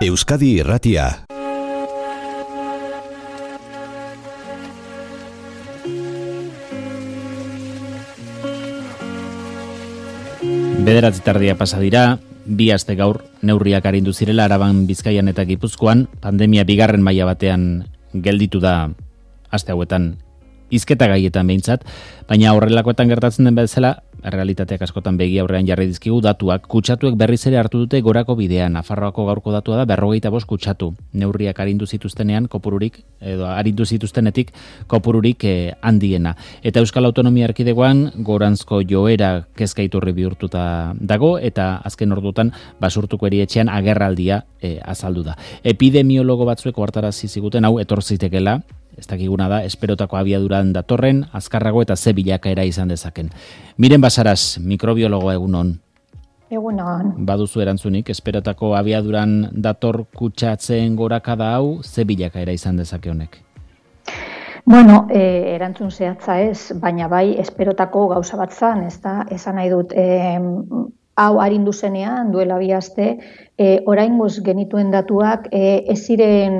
Euskadi Irratia. Bederatzi tardia pasa dira, 2 aste gaur neurriak arindu zirela Araban, Bizkaian eta Gipuzkoan, pandemia bigarren maila batean gelditu da aste hauetan hizketa gaietan behintzat, baina horrelakoetan gertatzen den bezala, realitateak askotan begi aurrean jarri dizkigu datuak, kutsatuek berriz ere hartu dute gorako bidean. Nafarroako gaurko datua da 45 kutsatu. Neurriak arindu zituztenean kopururik edo arindu zituztenetik kopururik handiena. Eta Euskal Autonomia Erkidegoan goranzko joera kezkaiturri bihurtuta dago eta azken ordutan Basurtuko erietxean agerraldia azaldu da. Epidemiologo batzuek ohartarazi ziguten hau etor zitekeela. Ez dakiguna da, esperotako abiaduran datorren, azkarrago eta ze bilakaera izan dezaken. Miren Basaras, mikrobiologoa egunon. Egunon. Baduzu erantzunik, esperotako abiaduran dator kutsatzen gorakada hau, ze bilakaera izan dezake honek? Bueno, erantzun zehatza ez, baina bai esperotako gauza bat zan, ez da, esan nahi dut, hau arindu zenean, duela 2 aste, oraingoz genituen datuak ez ziren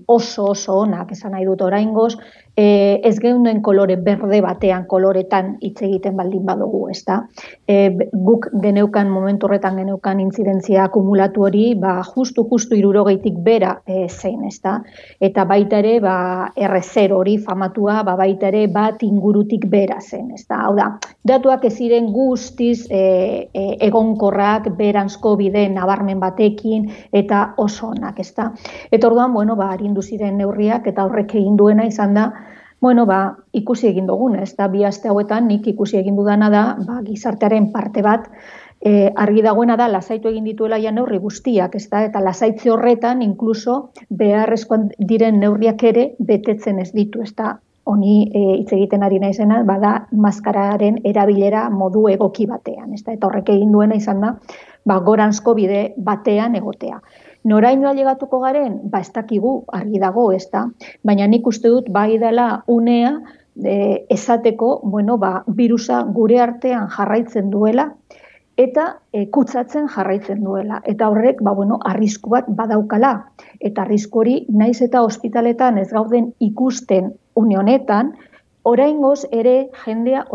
oso onak, esan nahi dut oraingoz, ez geunden kolore berde batean, koloretan hitz egiten baldin badugu, ez da. Guk geneukan, momentu horretan geneukan intzidentzia akumulatu hori, justu 60 bera zein, ez da. Eta baita ere, R0 hori famatua, baita ere, bat ingurutik bera zen, ez da. Hau da, datuak ez ziren guztiz egonkorrak, beranzko bide nabarmen batekin, eta oso onak, ez da. Eta orduan, arindu ziren neurriak, eta horrek egin duena izan da, ikusi egin dugun, ez da, 2 aste hauetan nik ikusi egin dudana da, gizartearen parte bat, argi dagoena da, lasaitu egin dituela ja neurri guztiak, ez da, eta lasaitze horretan, inkluso, beharrezkoan diren neurriak ere, betetzen ez ditu, ez da, honi hitz egiten ari naizena, bada, maskararen erabilera modu egoki batean, ez da, eta horrek egin duena izan da, goranzko bide batean egotea. Noraino ailegatuko garen? Ez dakigu, argi dago, ez da, baina nik uste dut bai dela unea esateko, birusa gure artean jarraitzen duela, eta kutsatzen jarraitzen duela. Eta horrek, arrisku bat badaukala. Eta arrisku hori, naiz eta ospitaletan ez gauden ikusten une honetan, oraingoz ere jendea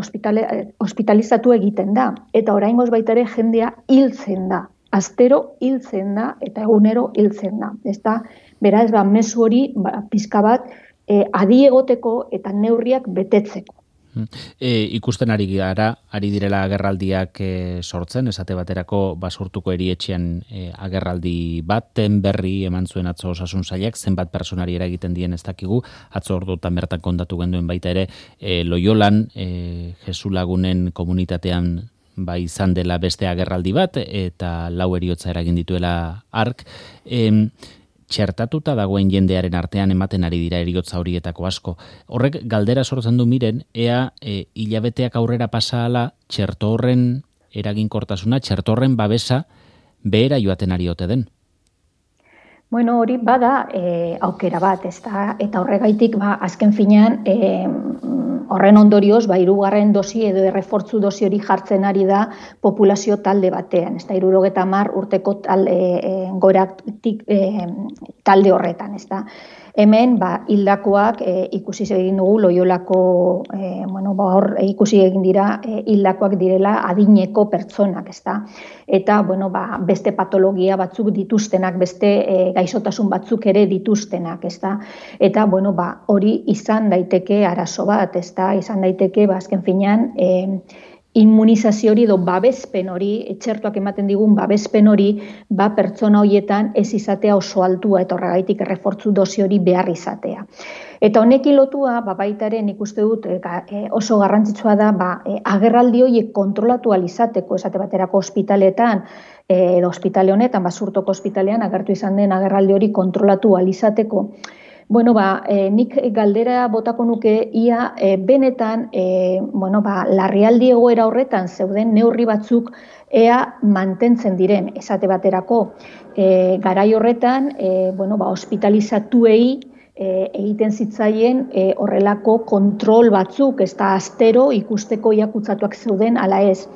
ospitalizatu egiten da. Eta oraingoz baita ere jendea hiltzen da. Astero hiltzen da eta egunero hiltzen da. Beraz, mezu hori pixka bat adi egoteko eta neurriak betetzeko. Ikusten ari direla agerraldiak sortzen, esate baterako Basurtuko erietxean agerraldi baten berri eman zuen atzo Osasun Sailak, zenbat pertsonari eragiten dien ez dakigu, atzo ordutan bertan kontatu genduen baita ere Loiolan, Jesulagunen komunitatean izan dela beste agerraldi bat, eta 4 heriotza eragin dituela hark. Txertatuta dagoen jendearen artean ematen ari dira heriotza horietako asko. Horrek galdera sortzen du miren, ea hilabeteak aurrera pasa ala, txerto horren eraginkortasuna, txerto horren babesa behera joaten ari ote den. Hori bada aukera bat, eta horregaitik azken finean horren ondorioz, 2. dosi edo errefortzu dosi hori jartzen ari da populazio talde batean, 70 urteko goratik talde horretan, Hemen, hildakoak ikusi egin dugu Loiolako, hor ikusi egin dira hildakoak direla adineko pertsonak, eta, beste patologia batzuk dituztenak, beste gaixotasun batzuk ere dituztenak, eta, hori izan daiteke arazo bat, izan daiteke, azken finean, immunizazio hori edo babespen hori, txertuak ematen digun babespen hori, pertsona horietan ez izatea oso altua, eta horregaitik errefortzu dosi hori behar izatea. Eta honekin lotua, baitaren ikuste dut oso garrantzitsua da, agerraldi horiek kontrolatu alizateko, esate baterako ospitaletan, edo ospitale honetan, Basurtoko ospitalean, agertu izan den agerraldi hori kontrolatu alizateko. Nik galdera botako nuke ia benetan, larrialdi egoera horretan zeuden neurri batzuk ea mantentzen diren, esate baterako. Garai horretan, ospitalizatuei egiten zitzaien horrelako kontrol batzuk, ez da astero ikusteko kutsatuak zeuden ala ez.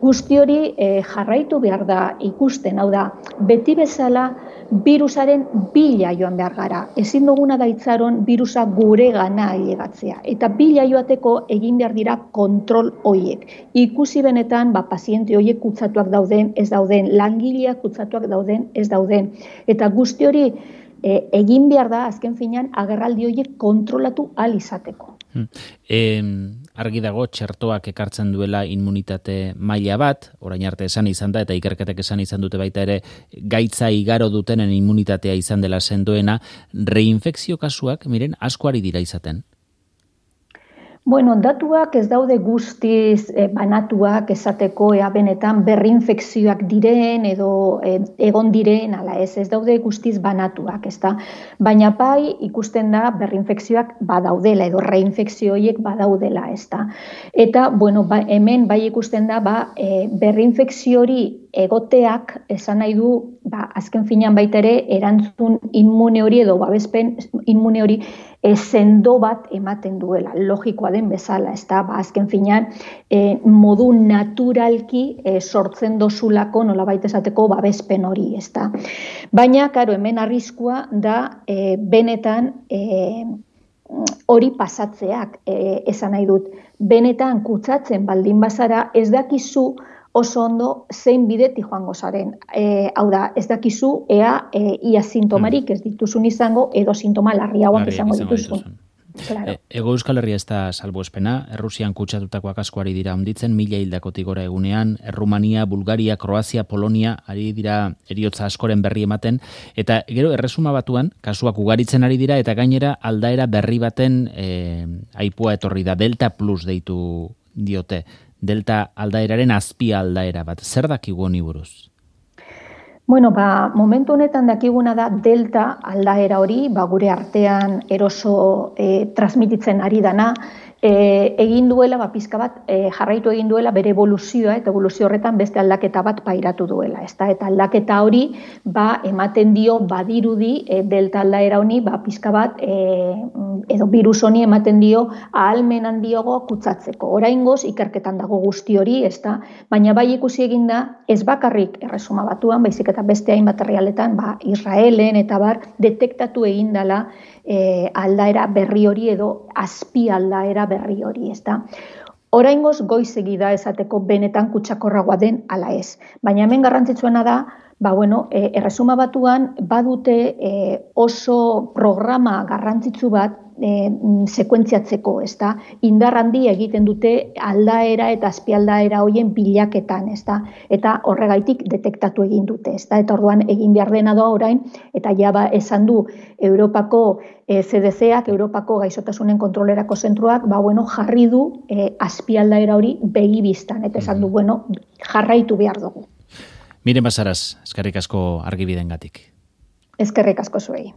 Guzti hori jarraitu behar da ikusten, hau da, beti bezala virusaren bila joan behar gara. Ezin duguna da itzaron virusa gure gana ailegatzea. Eta bila joateko egin behar dira kontrol hoiek. Ikusi benetan, paziente hoiek kutsatuak dauden, ez dauden, langileak kutsatuak dauden, ez dauden. Eta guzti hori egin behar da, azken finean, agerraldi horiek kontrolatu ahal izateko. Argi dago, txertoak ekartzen duela immunitate maila bat, orain arte esan izan da, eta ikerketek esan izan dute baita ere, gaitza igaro dutenen immunitatea izan dela sendoena, reinfekzio kasuak, miren, asko ari dira izaten. Bueno, datuak ez daude guztiz banatuak esateko benetan berrinfekzioak diren edo egon diren, ala ez daude guztiz banatuak, ezta? Baina bai ikusten da berrinfekzioak badaudela edo reinfekzio horiek badaudela, ezta? Eta, bueno, hemen bai ikusten da berrinfekzio hori egoteak esan nahi du, azken finean baita ere erantzun immune hori edo babespen immune hori sendo bat ematen duela, logikoa den bezala, ezta? Azken finean modu naturalki sortzen dozulako nolabait esateko babespen hori, ezta? Baina, karo, hemen arriskua da benetan hori pasatzeak esan nahi dut. Benetan kutsatzen baldin bazara ez dakizu oso ondo zein bidetik joango zaren. Hau da, ez dakizu ea ia sintomarik ez dituzun izango edo sintoma larriagoak izango dituzun. Claro. Ego Euskal Herria ez da salbuespena, Errusian kutsatutakoak asko ari dira honditzen, 1000 hildakotik gora egunean, Errumania, Bulgaria, Kroazia, Polonia, ari dira eriotza askoren berri ematen, eta gero Erresuma Batuan, kasuak ugaritzen ari dira, eta gainera aldaera berri baten aipua etorri da, Delta Plus deitu diote. Delta aldaeraren azpia aldaera bat. Zer dakigu honi buruz? Bueno, momentu honetan dakiguna da Delta aldaera hori, gure artean eroso transmititzen ari dana, egin duela, pizka bat, jarraitu egin duela bere evoluzioa, eta evoluzio horretan beste aldaketa bat pairatu duela. Eta aldaketa hori ematen dio badirudi Delta aldaera honi, pizka bat, edo virus honi ematen dio ahalmen handiogo kutsatzeko. Oraingoz ikerketan dago guzti hori, baina bai ikusi egin da, ez bakarrik Erresuma Batuan, baizik eta beste hainbat herrialdetan, Israelen eta detektatu egin dela aldaera berri hori edo azpi aldaera berri hori, ezta? Oraingoz goizegi da esateko benetan kutsakorragoa den ala ez. Baina hemen garrantzitsuena da, Erresuma Batuan badute oso programa garrantzitsu bat sekuentziatzeko, ezta? Indar handia egiten dute aldaera eta azpialdaera hoien bilaketan, ezta? Eta horregaitik detektatu egin dute, ezta? Eta orduan egin behar dena doa orain, eta ja esan du Europako CDC-ak, Europako gaixotasunen kontrolerako zentruak, jarri du azpialdaera hori begi bistan, eta esan du, jarraitu behar dugu. Miren Basaras, eskerrik asko argibidengatik. Eskerrik asko zuei.